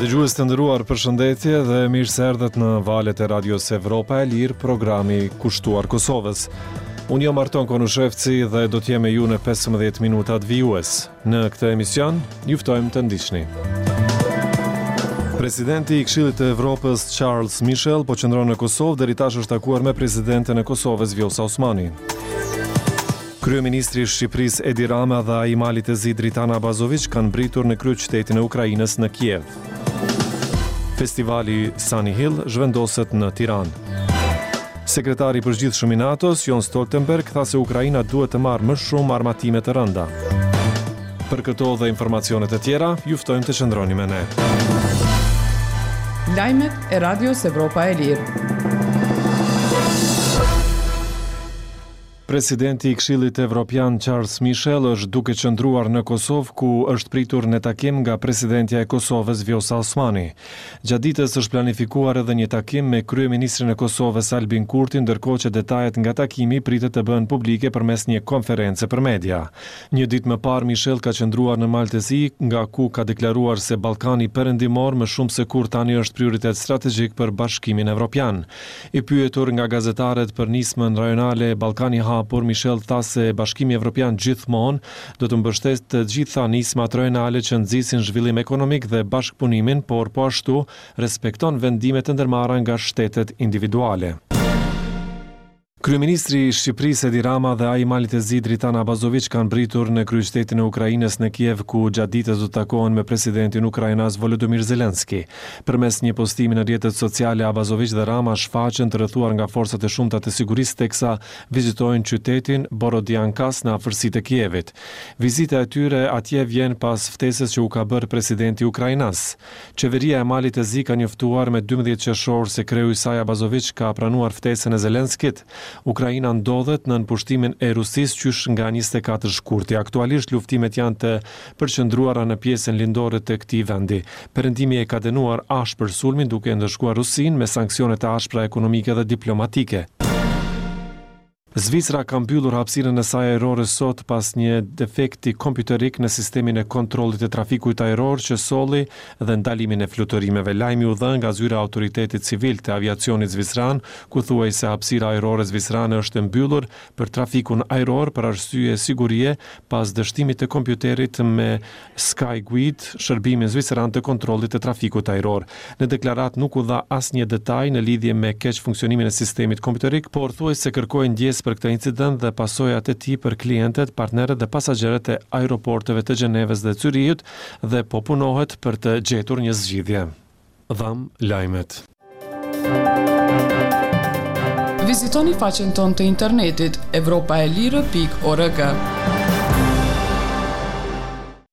Dëgjues të nderuar, përshëndetje dhe mirë se erdhët në valët e Radios Evropa e Lirë, programi kushtuar Kosovës. Unë jam Arton Konushevci dhe do të jem me ju në 15 minutat vijues. Në këtë emision, ju ftojmë të ndiqni. Presidenti i Këshillit të Evropës Charles Michel po qëndron në Kosovë, deri tash është takuar me presidenten e Kosovës Vjosa Osmani. Kryeministri i Shqipërisë Edi Rama dhe ai i Malit të Zi Dritan Abazoviq kanë mbërritur në kryeqytetin e Ukrainës në Kiev. Festivali Sunny Hill zhvendoset në Tiranë. Sekretari i Përgjithshëm i NATO-s, Jens Stoltenberg, tha se Ukraina duhet të marrë më shumë armatime të rënda. Për këto dhe informacione të tjera, ju ftojmë të qëndroni me ne. Lajmet e Radios Evropa e Lirë. Presidenti i Këshillit Evropian Charles Michel është duke qëndruar në Kosovë ku është pritur në takim nga presidentja e Kosovës Vjosa Osmani. Gjatë ditës është planifikuar edhe një takim me kryeministrin e Kosovës Albin Kurti ndërkohë që detajet nga takimi pritet të bëhen publike përmes një konference për media. Një ditë më parë Michel ka qëndruar në Mal të Zi nga ku ka deklaruar se Ballkani Perëndimor më shumë se kurrë tani është prioritet strategjik për Bashkimin Evropian. I pyetur nga gazetarët për nismën rajonale Ballkani i Hapur, Michel tha se Bashkimi Evropian gjithmonë do të mbështesë të gjitha nismat rajonale që nxisin zhvillim ekonomik dhe bashkëpunimin, por po ashtu respekton vendimet e ndërmarra nga shtetet individuale. Kryeministri i Shqipërisë Edi Rama dhe ai i Malit të Zi Dritan Abazoviq kanë mbërritur në kryeqytetin e Ukrainës në Kiev ku gjatë ditës do të takohen me presidentin ukrainas Volodymyr Zelensky. Përmes një postimi në rrjetet sociale, Abazoviq dhe Rama shfaqen të rrethuar nga forcat e shumta të sigurisë teksa vizitojnë qytetin Borodiankas në afërsi të Kievit. Vizita e tyre atje vjen pas ftesës që u ka bërë presidenti ukrainas. Qeveria e Malit të Zi ka njoftuar me 12 qershor se kreu i saj Abazoviq ka pranuar ftesën e Zelenskit. Ukraina ndodhet nën pushtimin e Rusisë qysh nga 24 shkurti. Aktualisht luftimet janë të përqendruara në pjesën lindore të këtij vendi. Perëndimi e ka dënuar ashpër sulmin duke e ndëshkuar Rusinë me sanksione të ashpra ekonomike dhe diplomatike. Zvicra ka mbyllur hapësirën e saj ajrore sot pas një defekti kompjuterik në sistemin e kontrollit të trafikut ajror që solli dhe ndalimin e fluturimeve. Lajmi u dha nga zyra e Autoritetit Civil të Aviacionit Zviceran, ku thuhej se hapësira ajrore zvicerane është e mbyllur për trafikun ajror për arsye sigurie pas dështimit të kompjuterit me Skyguide, shërbimin zviceran të kontrollit të trafikut ajror. Në deklaratë nuk u dha asnjë detaj në lidhje me keqfunksionimin e sistemit kompjuterik, por thuhej se kërkohej ndjesë për këtë incident dhe pasojat e tij për klientët, partnerët dhe pasagjerët e aeroporteve të Gjenevës dhe Cyrihut dhe po punohet për të gjetur një zgjidhje. Dhamë lajmet. Vizitoni faqen tonë të internetit evropaelire.org.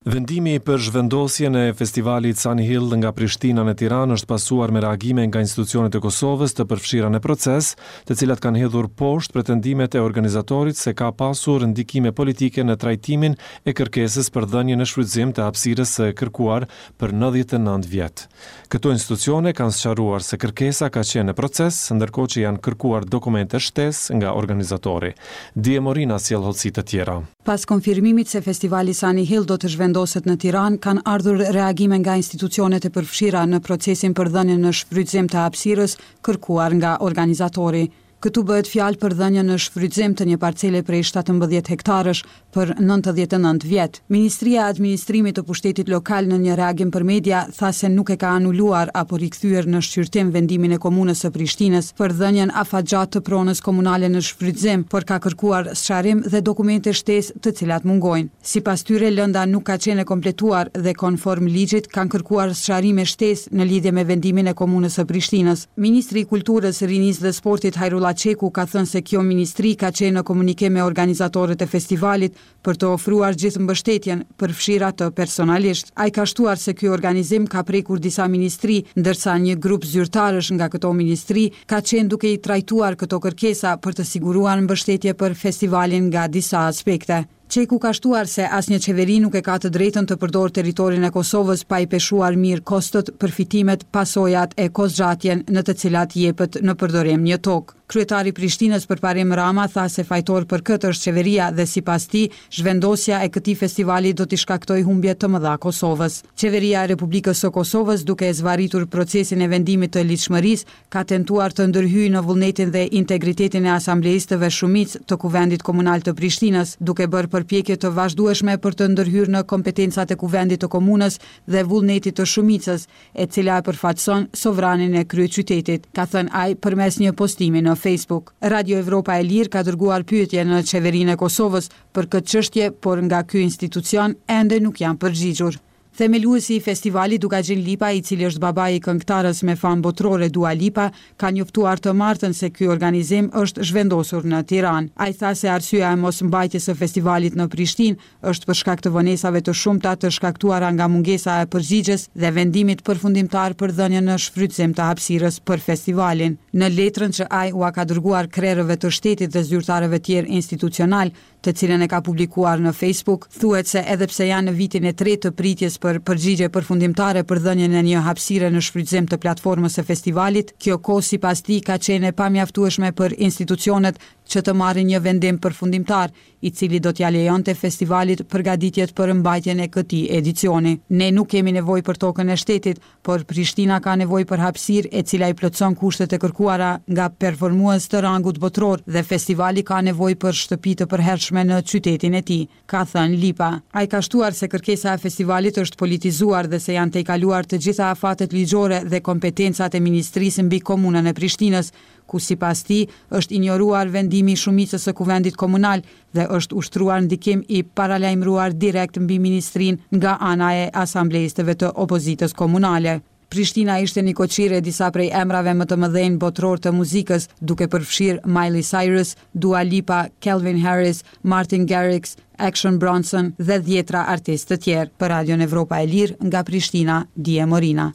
Vendimi për zhvendosjen e festivalit Sunny Hill nga Prishtina në Tiranë është pasuar me reagime nga institucionet e Kosovës të përfshira në proces, të cilat kanë hedhur poshtë pretendimet e organizatorit se ka pasur ndikime politike në trajtimin e kërkesës për dhënien në shfrytëzim të hapësirës së kërkuar për 99 vjet. Këto institucione kanë sqaruar se kërkesa ka qenë në proces, ndërkohë që janë kërkuar dokumente shtesë nga organizatori. Die Morina sjell hollësi të tjera. Pas konfirmimit se festivali Sunny Hill do të zhvendoset në Tiranë, kanë ardhur reagime nga institucionet e përfshira në procesin për dhënien në shfrytëzim të hapësirës kërkuar nga organizatori. Këtu bëhet fjalë për dhënien në shfrytëzim të një parcele prej 17 hektarësh për 99 vjet. Ministria e Administrimit të Pushtetit Lokal në një reagim për media tha se nuk e ka anuluar apo rikthyer në shqyrtim vendimin e Komunës së Prishtinës për dhënien afatgjatë të pronës komunale në shfrytëzim, por ka kërkuar sqarim dhe dokumente shtesë të cilat mungojnë. Sipas tyre, lënda nuk ka qenë e kompletuar dhe konform ligjit kanë kërkuar sqarime shtesë në lidhje me vendimin e Komunës së Prishtinës. Ministri i Kulturës, Rinisë dhe Sportit Hajrullah Çeku ka thënë se kjo ministri ka qenë në komunikim me organizatorët e festivalit për të ofruar gjithë mbështetjen, përfshirë atë personalisht. Ai ka shtuar se ky organizim ka prekur disa ministri, ndërsa një grup zyrtarësh nga këto ministri ka qenë duke i trajtuar këto kërkesa për të siguruar mbështetje për festivalin nga disa aspekte. Çeku ka shtuar se asnjë qeveri nuk e ka të drejtën të përdorë territorin e Kosovës pa i peshuar mirë kostot, përfitimet, pasojat e kohëzgjatjen në të cilat jepet në përdorim një tokë. Kryetari i Prishtinës Përparim Rama tha se fajtor për këtë është qeveria dhe sipas tij, zhvendosja e këtij festivali do t'i shkaktojë humbje të mëdha Kosovës. Qeveria e Republikës së Kosovës duke e zvarritur procesin e vendimit të ligjshmërisë ka tentuar të ndërhyjë në vullnetin dhe integritetin e asambleistëve shumicë të Kuvendit Komunal të Prishtinës, duke bërë përpjekje të vazhdueshme për të ndërhyrë në kompetencat e Kuvendit të Komunës dhe vullnetit të shumicës, e cila e përfaqëson sovranin e kryeqytetit, ka thënë ai përmes një postimi në Facebook. Radio Evropa e Lirë ka dërguar pyetje në Qeverinë e Kosovës për këtë çështje, por nga ky institucion ende nuk janë përgjigjur. Themeluesi i festivalit, Dukagjin Lipa, i cili është babai i këngëtares me famë botërore Dua Lipa, ka njoftuar të martën se ky organizim është zhvendosur në Tiranë. Ai tha se arsyeja e mos mbajtjes së festivalit në Prishtinë është për shkak të vonesave të shumta të shkaktuara nga mungesa e përgjigjes dhe vendimit përfundimtar për dhënien në shfrytëzim të hapësirës për festivalin. Në letrën që ai ua ka dërguar krerëve të shtetit dhe zyrtarëve tjerë institucionalë, të cilën e ka publikuar në Facebook, thuhet se edhe pse janë në vitin e tretë të pritjes për përgjigje përfundimtare për dhënien e një hapësire në shfrytëzim të platformës së festivalit, kjo kohë sipas tij ka qenë e pamjaftueshme për institucionet që të marrin një vendim përfundimtar, i cili do t'ia lejonte festivalit përgatitjet për mbajtjen e këtij edicioni. Ne nuk kemi nevojë për tokën e shtetit, Por Prishtina ka nevojë për hapësirë e cila i plotëson kushtet e kërkuara nga performues të rangut botëror dhe festivali ka nevojë për shtëpi të përhershme në qytetin e tij, ka thënë Lipa. Ai ka shtuar se kërkesa e festivalit është politizuar dhe se janë tejkaluar të gjitha afatet ligjore dhe kompetencat e ministrisë mbi Komunën e Prishtinës, ku sipas tij është injoruar vendimi i shumicës së Kuvendit Komunal dhe është ushtruar ndikim i paralajmëruar direkt mbi ministrinë nga ana e asambleistëve të opozitës komunale. Prishtina ishte nikoqire e disa prej emrave më të mëdhenj botërorë të muzikës, duke përfshirë Miley Cyrus, Dua Lipa, Calvin Harris, Martin Garrix, Action Bronson dhe dhjetra artistë të tjerë. Për Radion Evropa e Lirë, nga Prishtina, Dije Morina.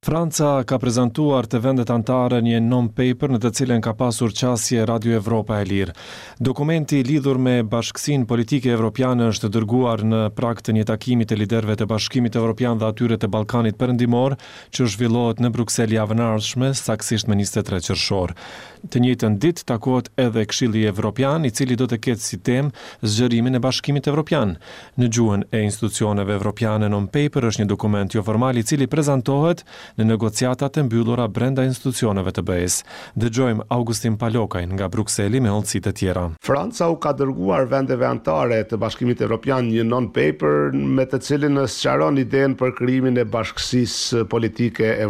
Franca ka prezantuar te vendet anëtare një non-paper në të cilën ka pasur qasje Radio Evropa e Lirë. Dokumenti lidhur me bashkësinë politike evropiane është dërguar në prag të një takimi të liderëve të Bashkimit Evropian dhe atyre të Ballkanit Perëndimor, që zhvillohet në Bruksel javën e ardhshme, saktësisht më 23 qershor. Të njëjtën ditë takohet edhe Këshilli Evropian, i cili do të ketë si temë zgjerimin e Bashkimit Evropian. Në gjuhën e institucioneve evropiane non-paper është një dokument joformal i cili prezantohet në negociatat e mbyllura brenda institucioneve të BE-së. Dëgjojmë Augustin Palokajn nga Brukseli me hollësi të tjera. Franca u ka dërguar vendeve anëtare të Bashkimit Evropian një non-paper me të cilin sqaron idenë për krijimin e bashkësisë politike evropiane.